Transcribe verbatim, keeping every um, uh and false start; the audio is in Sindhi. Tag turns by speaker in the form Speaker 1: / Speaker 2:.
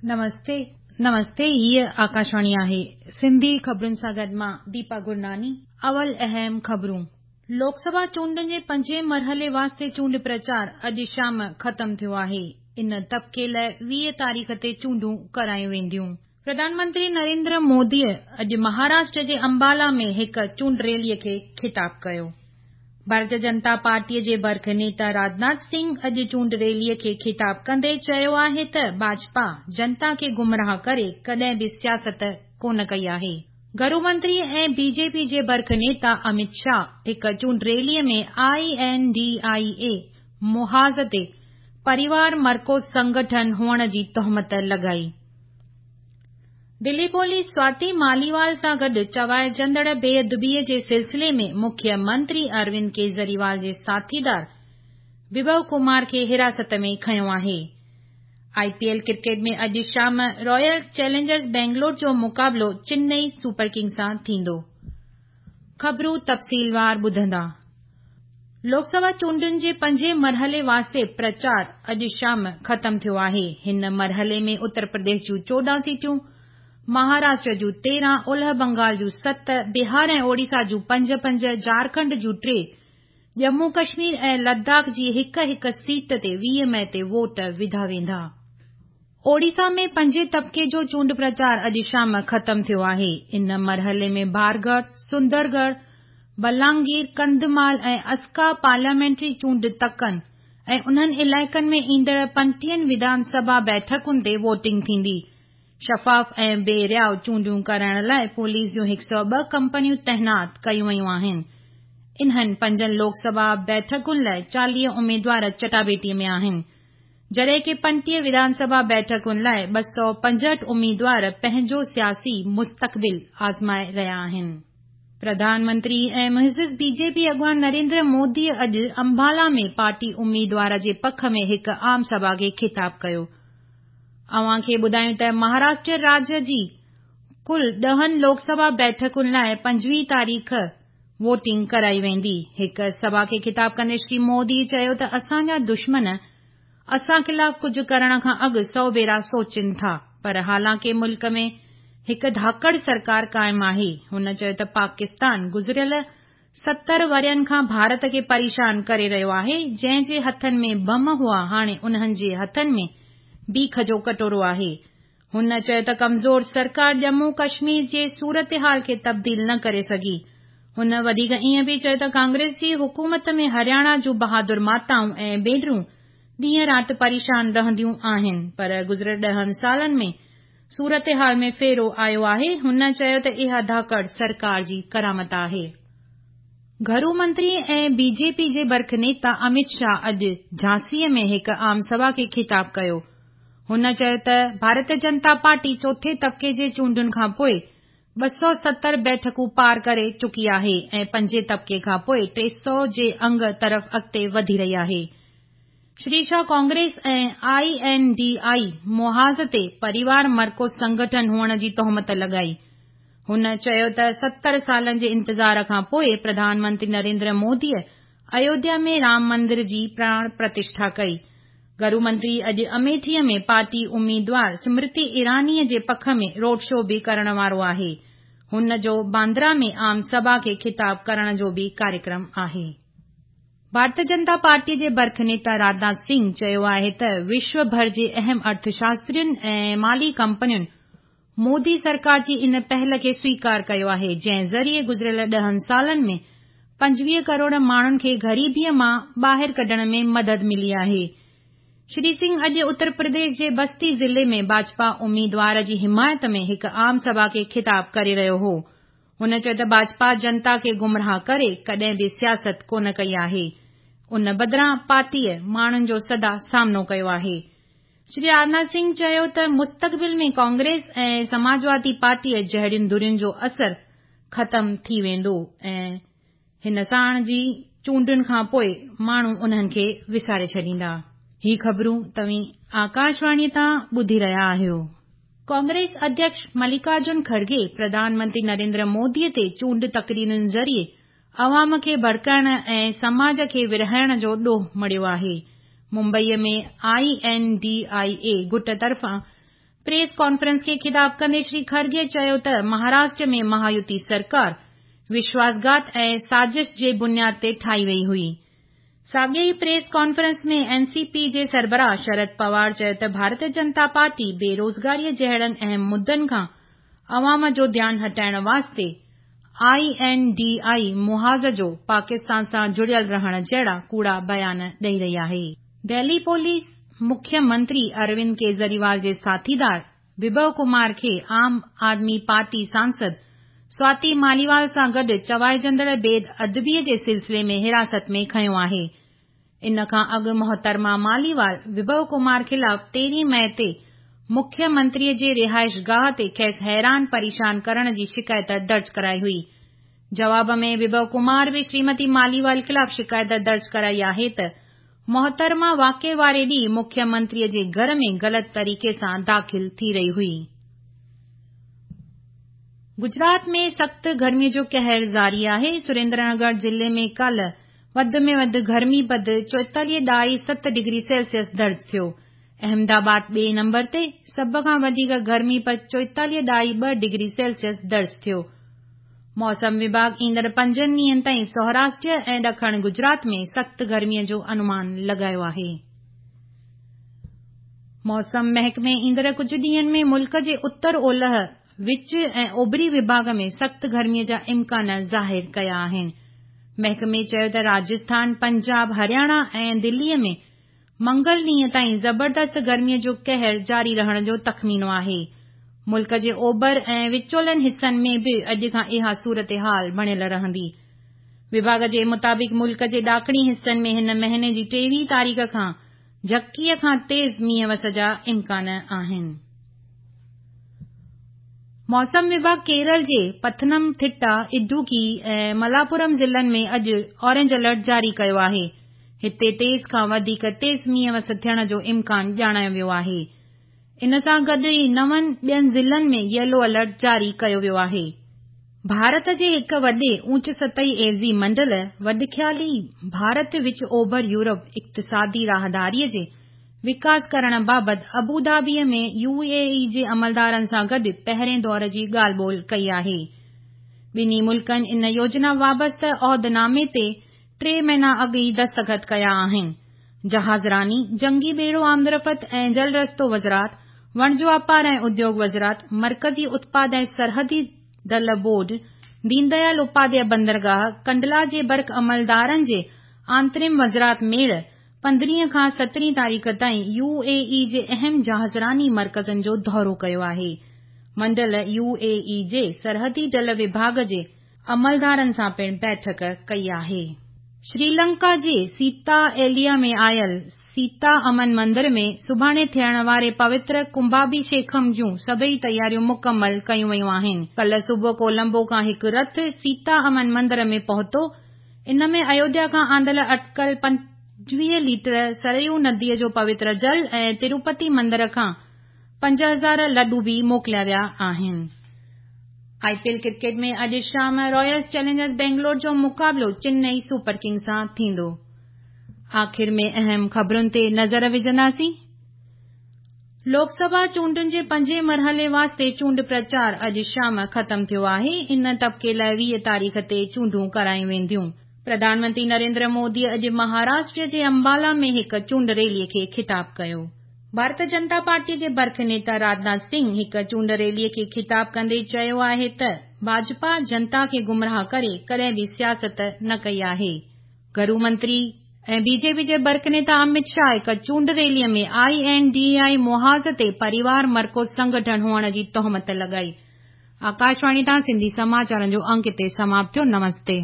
Speaker 1: نمستي نمستي، هيءَ آڪاشواڻي آهي. سنڌي خبرن سان گڏ مان ديپا گرناني. اول اهم خبرون. لوڪ سڀا چونڊن جي پنجين مرحلي واسطي چونڊ پرچار اڄ شام ختم ٿيو آهي. ان طبقي لاءِ ويهه تاريخ تي چونڊون ڪرايون وينديون. پرڌان منتري نريندر موديءَ اڄ مهاراشٽر جي امبالا ۾ هڪ چونڊ ريليءَ کي خطاب ڪيو. ڀارتيه جنتا پارٽيءَ جي برک نيتا راجناٿ سنگهه اڄ چونڊ ريليءَ کي خطاب ڪندي چيو آهي ته ڀاجپا جنتا کي گمراهه ڪري ڪڏهن به سياست ڪونه ڪئي آهي. گهرو منتري ۽ بي جي پي جي برک نيتا امت شاهه هڪ چونڊ ريليءَ ۾ I N D I اي محاذ تي پريوار مرڪوز سنگٺن هئڻ جي تهمت لڳائي. دلي پوليس سواتي ماليوال سان گڏ چوائجندڙ بي ادبيءَ جي سلسلي ۾ مکيه منتري اروند ڪيجريوال جي ساٿيدار وڀو ڪمار کي حراست ۾ کنيو آهي. آءِ پي ايل ڪرڪيٽ ۾ اڄ شام رائل چئلينجرز بينگلور جو مقابلو چنئي سپر ڪنگز سان ٿيندو. خبرون تفصيلوار ٻڌندا. لوڪ سڀا چونڊن جي پنجين مرحلي واسطي پرچار اڄ شام ختم ٿيو آهي. هن مرحلي ۾ اتر پرديش جون چوڏهن سيٽون، مهاراشٽر جون تيرهن، اولهه بنگال جون ست، بهار ۽ اوڙيسا جون پنج پنج، جهارکنڊ جون ٽي، ڄمون ڪشمير ۽ لداخ جي هڪ هڪ سيٽ تي ويهه مئي تي ووٽ وڌا ويندا. اوڙيسا ۾ پنجين طبقي جو چونڊ پرچار اڄ شام ختم ٿيو آهي. ان مرحلي ۾ بارڳڙهه، سندرڳڙهه، بلانگير، ڪنڌمال ۽ اسڪا پارليامينٽري چونڊ تڪن ۽ انهن علائقن ۾ ايندڙ پنٽيهن وڌان سڀا بيٺڪن تي ووٽنگ ٿيندي. شفاف ۽ بي رياءُ چونڊون ڪرائڻ لاءِ پوليس جون هڪ سؤ ٻه ڪمپنيون تعينات ڪيون ويون آهن. انهن پنجن لوڪ سڀا بيٺڪن لاءِ چاليهه اميدوار چٽاڀيٽيءَ ۾ آهن، جڏهن ڪه پنٽيهه وڌان سڀا بيٺڪن لاءِ ٻه سؤ پنجهٺ اميدوار پنهنجو سياسي مستقبل آزمائي رهيا آهن. پرڌان منتري ۽ معزز بي جي پي اڳواڻ نريندر موديءَ اڄ امبالا ۾ پارٽي اميدوار جي پک ۾ هڪ عام سڀا کي خطاب ڪيو. اوهان کي ٻڌايون ته مهاراشٽر راجيه جي ڪل ڏهن لوڪ سڀا بيٺڪن لاءِ پنجويهه تاريخ ووٽنگ ڪرائي ويندي. هڪ سڀا کي خطاب ڪندي شري مودي چيو ته اسان جا دشمن اسان خلاف ڪجهه ڪرڻ کان اڳ سؤ ڀيرا سوچين ٿا، پر حالانڪه ملڪ ۾ هڪ ڌاڪڙ سرڪار قائم آهي. هن چيو ته پاڪستان گذريل ستر ورهين کان ڀارت کي پريشان ڪري رهيو آهي. جنهن جي هٿن ۾ بم هئا، هاڻي انهن جي هٿن ۾ بيک جو ڪٽورو آهي. هن چيو ته ڪمزور سرڪار ڄمون ڪشمير جي صورتحال کي تبديل نه ڪري سگهي. هن وڌيڪ ائين به چيو ته ڪانگريس جي حڪومت ۾ هرياڻا جون بهادر ماتائون ۽ ڀينرون ڏينهن رات پريشان رهنديون آهن، پر گذريل ڏهن سالن ۾ صورتحال ۾ ڦيرو آيو آهي. هن چيو ته اها ڌاڪڙ سرڪار جي ڪرامت آهي. گهرو منتري ۽ بي جي پي جي برک نيتا امت شاهه اڄ جهانسيءَ ۾ هڪ عام سڀا کي خطاب ڪيو. هن چيو ته ڀارتيه جنتا پارٽي چوٿين طبقي جي چونڊن کان پوءِ ٻه سؤ ستر بيٺڪون پار ڪري چڪي آهي ۽ پنجين طبقي کان پوءِ ٽي سؤ جي انگ طرف اڳتي وڌي رهي آهي. Shri Shah Congress ۽ I N D I محاذ تي پريوار مرڪوز سنگٺن هئڻ جي تهمت لڳائي. هن چيو ته ستر سالن جي انتظار کان پوءِ پرڌان منتري نريندر موديءَ ايوڌيا ۾ رام مندر جي پراڻ پرتشٺا ڪئي. گهرو منتري اڄ اميٺيءَ ۾ پارٽي اميدوار سمرتي ايرانيءَ جي پک ۾ روڊ شو به ڪرڻ وارو آهي. هن جو باندرا ۾ عام سڀا کي خطاب ڪرڻ جو به ڪاريڪرم آهي. ڀارتيه جنتا پارٽيءَ جي برک نيتا راجناٿ سنگهه چيو آهي ته وشو ڀر جي اهم ارٿشاسترين ۽ مالي ڪمپنين مودي سرڪار جي ان پهل کي سويڪار ڪيو آهي، جنهن ذريعي گذريل ڏهن سالن ۾ پنجويهه ڪروڙ ماڻهن کي غريبيءَ مان ٻاهر ڪڍڻ ۾ مدد ملي آهي. شري سنگهه اڄ اتر پرديش جي بستي ضلعي ۾ ڀاجپا اميدوار جي حمايت ۾ هڪ عام سڀا کي خطاب ڪري رهيو هو. هن چيو ته ڀاجپا جنتا کي گمراهه ڪري ڪڏهن به سياست ڪونه ڪئي آهي، ان بدران پارٽيءَ ماڻهن جو سدا سامنو ڪيو آهي. شري راجناٿ سنگهه چيو ته مستقبل ۾ ڪانگريس ۽ سماجوادي پارٽيءَ جهڙين ڌرين جو اثر ختم ٿي ويندو ۽ هن ساڻ جي چونڊن کان پوءِ ماڻهو انهن کي وساري ڇڏيندا. هي خبرون توهين آڪاشواڻيءَ تان ٻڌي رهيا آهيو. ڪانگريس اڌيڪش ملڪارجن کڙگي پرڌان منتري نريندر موديءَ تي چونڊ تقريرن ذريعي عوام کي ڀڙڪائڻ ۽ سماج کي ورهائڻ جو ڏوهه مڙهيو آهي. ممبئيءَ ۾ I N D I اي گٽ طرفان پريس ڪانفرنس کي خطاب ڪندي شري کرگي چيو ته مهاراشٽر ۾ مهايوتي سرڪار وشواسگهات ۽ سازش جي بنياد تي ٺاهي وئي هئي. ساڳي ئي press conference ۾ N C P جي سربراهه شرد پوار چيو ته ڀارتيه جنتا پارٽي بيروزگاريء جهڙن اهم مدعن کان عوام جو ڌيان هٽائڻ واسطي I N D I محاذ جو پاڪستان سان جڙيل رهڻ جهڙا ڪوڙا بيان ڏئي رهي آهي. دهلي پوليس مکيه منتري اروند ڪيجريوال جي ساٿيدار وڀو ڪمار کي عام آدمي پارٽي سانسد سواتي ماليوال سان گڏ چوائجندڙ بي ادبيء جي سلسلي ۾ حراست ۾ کنيو آهي. ان کان اڳ محترمه ماليوال وڀو ڪمار خلاف تيرهين مئي تي مکيه منتريء جي رهائش گاهه تي کيس حيران پريشان ڪرڻ جي شڪايت درج ڪرائي هئي. جواب ۾ وڀو ڪمار به شريمتي ماليوال خلاف شڪايت درج ڪرائي آهي ته محترمه واقعي واري ڏينهن مکيه منتريء جي گهر ۾ غلط طريقي سان داخل ٿي رهي هئي. گجرات ۾ سخت گرميء جو قهر جاري آهي. سريندر نگر ضلعي ۾ ڪالهه وڌ ۾ وڌ گرمي پد چوئيتاليهه ڏهائي ست ڊگري سيلسيس درج ٿيو. احمدآباد ٻئي نمبر تي سڀ کان وڌيڪ گرمي پد چوئيتاليهه ڏهائي ٻه ڊگري سيلسيس درج ٿيو. موسم وڀاڳ ايندڙ پنجن ڏينهن تائين سوراشٽر ۽ ڏکڻ گجرات ۾ سخت گرميء جو انومان لڳايو آهي. موسم محڪمي ايندڙ ڪجهه ڏينهن ۾ ملڪ جي اتر اولهه، وچ ۽ اوڀري وڀاڳ ۾ سخت گرميء جا امڪان ظاهر ڪيا آهن. محڪمي چيو ته راجسٿان، پنجاب، هرياڻا ۽ دليء ۾ منگل ڏينهن تائين زبردست گرميء جو قهر جاري رهڻ جو تخمينو آهي. ملڪ جي اوڀر ۽ وچولن حصن ۾ به اڄ کان اها صورتحال بڻيل رهندي. وڀاڳ جي مطابق ملڪ جي ڏاکڻي حصن ۾ هن مهيني جي ٽيويهه تاريخ کان جهڪيء کان تيز مينهن وس جا امڪان آهن. موسم وڀاڳ ڪيرل جي پٿنم ٿٽا، ادوڪي ۽ ملاپورم ضلعن ۾ اڄ اورينج الرٽ جاري ڪيو آهي. هتي تيز کان وڌيڪ تيز مينهن وس ٿيڻ جو امڪان ڄاڻايو ويو آهي. ان سان گڏ ئي نون ٻين ضلعن ۾ ييلو الرٽ جاري ڪيو ويو آهي. ڀارت جي هڪ وڏي اوچ سطحي عيوضي منڊل وڏخيالي ڀارت وچ اوڀر يورپ اقتصادي راهداريء جي وڪاس ڪرڻ بابت ابوڌابيء ۾ يو اي اي جي عملدارن سان گڏ پهرين دور جي ڳالهه ٻولهه ڪئي آهي. ٻنهي ملڪن ان يوجنا وابسته عهدنامي تي ٽي مهينا اڳ ئي دستخط ڪيا آهن. جهازراني، جنگي ٻيڙو آمدرفت ۽ جل رستو وزارت، وڻج واپار ۽ اديوگ وزارت، مرڪزي اتپاد ۽ سرحدي دل بورڊ، دين ديال اپاڌياء بندرگاهه، ڪنڊلا جي برق عملدارن جي آنترم وزارت ميڙ پندرهين کان سترهين تاريخ تائين يو اي اي جي اهم جهازراني مرڪزن جو دورو ڪيو آهي. منڊل يو اي اي جي سرحدي ڊل وڀاڳ جي عملدارن سان پڻ بيٺڪ ڪئي آهي. شريلنڪا جي سيتا ايليا ۾ آيل سيتا امن مندر ۾ سڀاڻي ٿيڻ واري پوتر ڪنڀاڀيشيڪم جون سڀئي تياريون مڪمل ڪيون ويون آهن. ڪالهه صبح ڪولمبو کان هڪ رٿ سيتا امن مندر ۾ پهتو. ان ۾ ايوڌيا کان آندل اٽڪل پنجويهه ليٽر سريو نديء جو پوتر جل ۽ تروپتي مندر کان پنج هزار لڏون به موڪليا ويا آهن. I P L cricket ۾ اڄ شام رائل چئلينجرز بينگلور جو مقابلو چنئي سپر ڪنگز سان ٿيندو. آخر ۾ اهم خبرن تي نظر وجهنداسين. لوڪ سڀا چونڊن جي پنجين مرحلي واسطي چونڊ پرچار اڄ شام ختم ٿيو آهي. ان طبقي لاءِ ويهه تاريخ تي چونڊون ڪرايون وينديون. پرڌان منتري نريندر مودي اڄ مهاراشٽر جي امبالا ۾ هڪ چونڊ ريليءَ کي خطاب ڪيو. ڀارتيه جنتا پارٽيءَ جي برک نيتا راجناٿ سنگهه هڪ چونڊ ريليءَ کي خطاب ڪندي چيو آهي ته ڀاجپا جنتا کي گمراهه ڪري ڪڏهن به سياست نه ڪئي آهي. گهرو منتري ۽ بي جي پي جي برک نيتا امت شاهه هڪ چونڊ ريليءَ ۾ I N D I محاذ تي پريوار مرڪوز سنگٺن هئڻ جي تهمت لڳائي. آڪاشواڻي تان سنڌي سماچارن جو انڪ هتي سماپت ٿيو. نمستي.